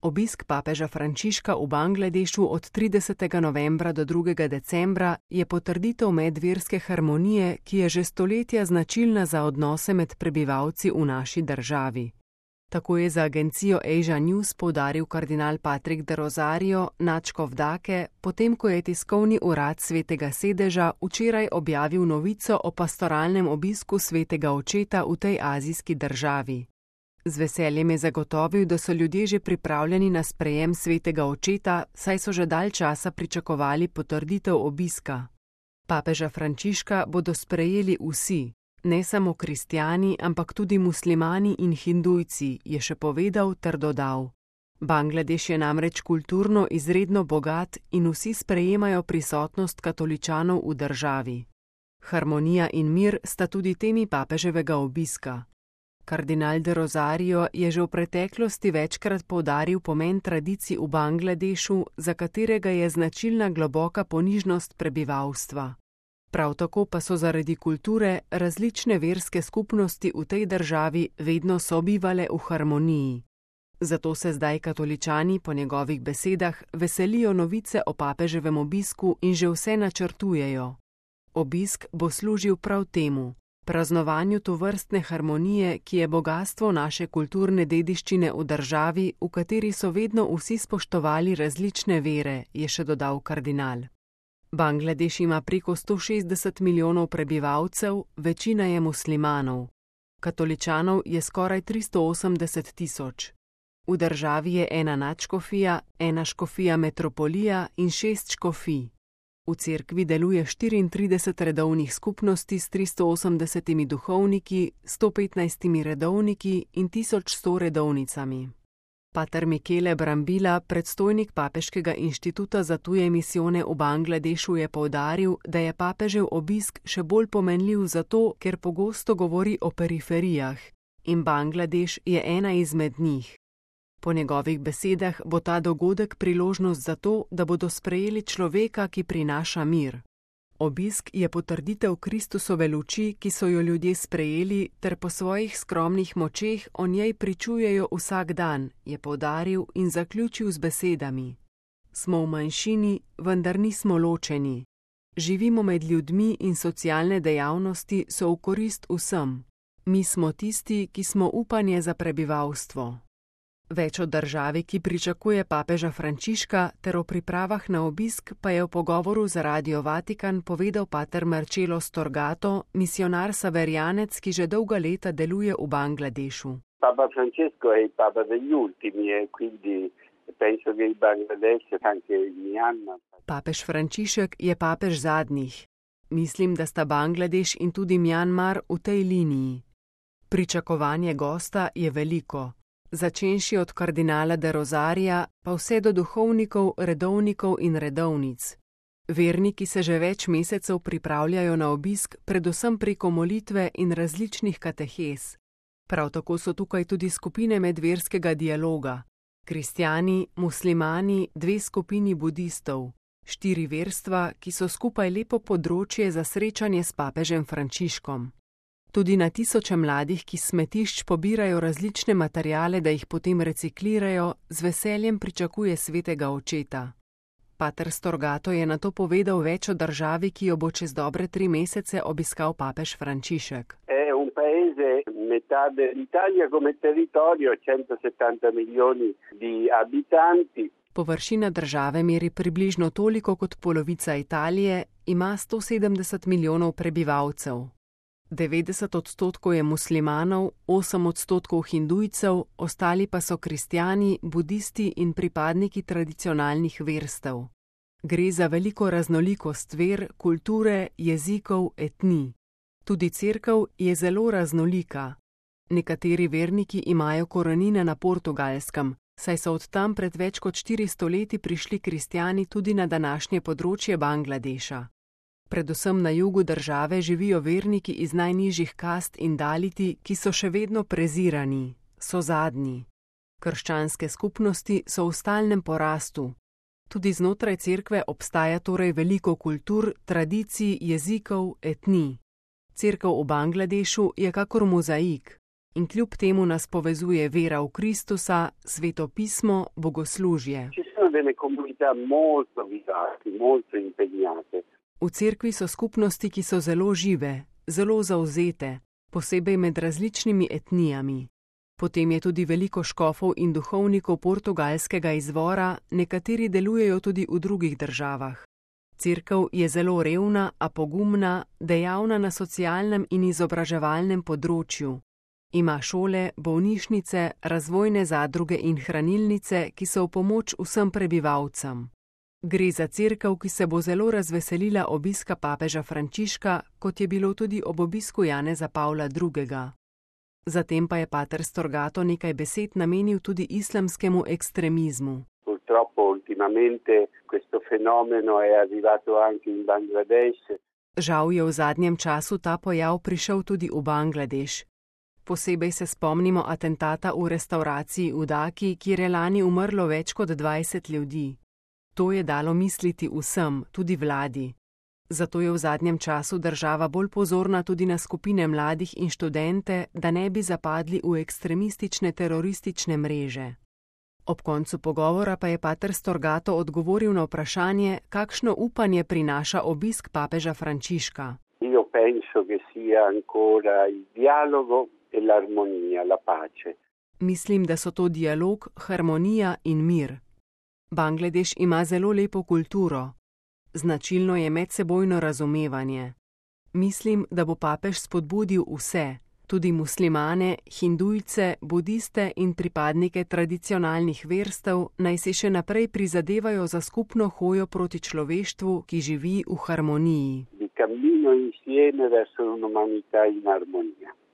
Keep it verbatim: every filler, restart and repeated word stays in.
Obisk papeža Frančiška v Bangladešu od tridesetega novembra do drugega decembra je potrditev medverske harmonije, ki je že stoletja značilna za odnose med prebivalci v naši državi. Tako je za agencijo Asia News poudaril kardinal Patrick de Rosario, nadškof Dake, potem ko je tiskovni urad Svetega sedeža včeraj objavil novico o pastoralnem obisku Svetega očeta v tej azijski državi. Z veseljem je zagotovil, da so ljudje že pripravljeni na sprejem Svetega očeta, saj so že dalj časa pričakovali potrditev obiska. Papeža Frančiška bodo sprejeli vsi, ne samo kristjani, ampak tudi muslimani in hindujci, je še povedal ter dodal. Bangladeš je namreč kulturno izredno bogat in vsi sprejemajo prisotnost katoličanov v državi. Harmonija in mir sta tudi temi papeževega obiska. Kardinal de Rosario je že v preteklosti večkrat poudaril pomen tradicij v Bangladešu, za katerega je značilna globoka ponižnost prebivalstva. Prav tako pa so zaradi kulture različne verske skupnosti v tej državi vedno sobivale v harmoniji. Zato se zdaj katoličani po njegovih besedah veselijo novice o papeževem obisku in že vse načrtujejo. Obisk bo služil prav temu. Praznovanju tovrstne harmonije, ki je bogastvo naše kulturne dediščine v državi, v kateri so vedno vsi spoštovali različne vere, je še dodal kardinal. Bangladeš ima preko sto šestdeset milijonov prebivalcev, večina je muslimanov. Katoličanov je skoraj tristo osemdeset tisoč. V državi je ena nadškofija, ena škofija metropolija in šest škofij. V cerkvi deluje štiriintrideset redovnih skupnosti s tristo osemdesetimi duhovniki, sto petnajstimi redovniki in tisoč sto redovnicami. Pater Michele Brambila, predstojnik Papeškega inštituta za tuje misijone v Bangladešu, je poudaril, da je papežev obisk še bolj pomenljiv zato, ker pogosto govori o periferijah in Bangladeš je ena izmed njih. Po njegovih besedah bo ta dogodek priložnost za to, da bodo sprejeli človeka, ki prinaša mir. Obisk je potrditev Kristusove luči, ki so jo ljudje sprejeli, ter po svojih skromnih močeh o njej pričujejo vsak dan, je poudaril in zaključil z besedami. Smo v manjšini, vendar nismo ločeni. Živimo med ljudmi in socialne dejavnosti so v korist vsem. Mi smo tisti, ki smo upanje za prebivalstvo. Več o državi, ki pričakuje papeža Frančiška, ter o pripravah na obisk pa je v pogovoru za Radio Vatikan povedal pater Marcello Storgato, misijonar saverjanec, ki že dolga leta deluje v Bangladešu. Papa Francesco je papa degli ultimi e quindi penso che il Bangladesh anche il Myanmar. Papež Frančišek je papež zadnjih. Mislim, da sta Bangladeš in tudi Myanmar v tej liniji. Pričakovanje gosta je veliko. Začenši od kardinala de Rosarija, pa vse do duhovnikov, redovnikov in redovnic. Verniki se že več mesecev pripravljajo na obisk, predvsem preko molitve in različnih katehes. Prav tako so tukaj tudi skupine medverskega dialoga. Kristjani, muslimani, dve skupini budistov, štiri verstva, ki so skupaj lepo področje za srečanje s papežem Frančiškom. Tudi na tisoče mladih, ki smetišč pobirajo različne materiale, da jih potem reciklirajo, z veseljem pričakuje Svetega očeta. Pater Storgato je nato povedal več o državi, ki jo bo čez dobre tri mesece obiskal papež Frančišek. È un paese metà dell'Italia come territorio, centosettanta milioni di abitanti. Površina države meri približno toliko kot polovica Italije, ima sto sedemdeset milijonov prebivalcev. devetdeset odstotkov je muslimanov, osem odstotkov hindujcev, ostali pa so kristjani, budisti in pripadniki tradicionalnih verstev. Gre za veliko raznolikost ver, kulture, jezikov, etnij. Tudi cerkev je zelo raznolika. Nekateri verniki imajo korenine na Portugalskem, saj so od tam pred več kot štiristo leti prišli kristjani tudi na današnje področje Bangladeša. Predvsem na jugu države živijo verniki iz najnižjih kast in daliti, ki so še vedno prezirani, so zadnji. Krščanske skupnosti so v stalnem porastu. Tudi znotraj cerkve obstaja torej veliko kultur, tradicij, jezikov, etnij. Cerkev v Bangladešu je kakor mozaik. In kljub temu nas povezuje vera v Kristusa, sveto pismo, bogoslužje. Ci sono delle comunità molto vivaci, molto impegnate. V cerkvi so skupnosti, ki so zelo žive, zelo zavzete, posebej med različnimi etnijami. Potem je tudi veliko škofov in duhovnikov portugalskega izvora, nekateri delujejo tudi v drugih državah. Cerkev je zelo revna, a pogumna, dejavna na socialnem in izobraževalnem področju. Ima šole, bolnišnice, razvojne zadruge in hranilnice, ki so v pomoč vsem prebivalcem. Gre za cerkev, ki se bo zelo razveselila obiska papeža Frančiška, kot je bilo tudi ob obisku Janeza Pavla drugega. Zatem pa je pater Storgato nekaj besed namenil tudi islamskemu ekstremizmu. Purtroppo ultimamente questo fenomeno è arrivato anche in Bangladesh. Žal je v zadnjem času ta pojav prišel tudi v Bangladeš. Posebej se spomnimo atentata v restavraciji v Daki, kjer je lani umrlo več kot dvajset ljudi. To je dalo misliti vsem, tudi vladi. Zato je v zadnjem času država bolj pozorna tudi na skupine mladih in študente, da ne bi zapadli v ekstremistične teroristične mreže. Ob koncu pogovora pa je pater Storgato odgovoril na vprašanje, kakšno upanje prinaša obisk papeža Frančiška. Io penso che sia ancora il dialogo e l'armonia, la pace. Mislim, da so to dialog, harmonija in mir. Bangladeš ima zelo lepo kulturo. Značilno je medsebojno razumevanje. Mislim, da bo papež spodbudil vse, tudi muslimane, hindujce, budiste in pripadnike tradicionalnih verstev, naj si še naprej prizadevajo za skupno hojo proti človeštvu, ki živi v harmoniji. Di cammino insieme verso un'umanità in armonia.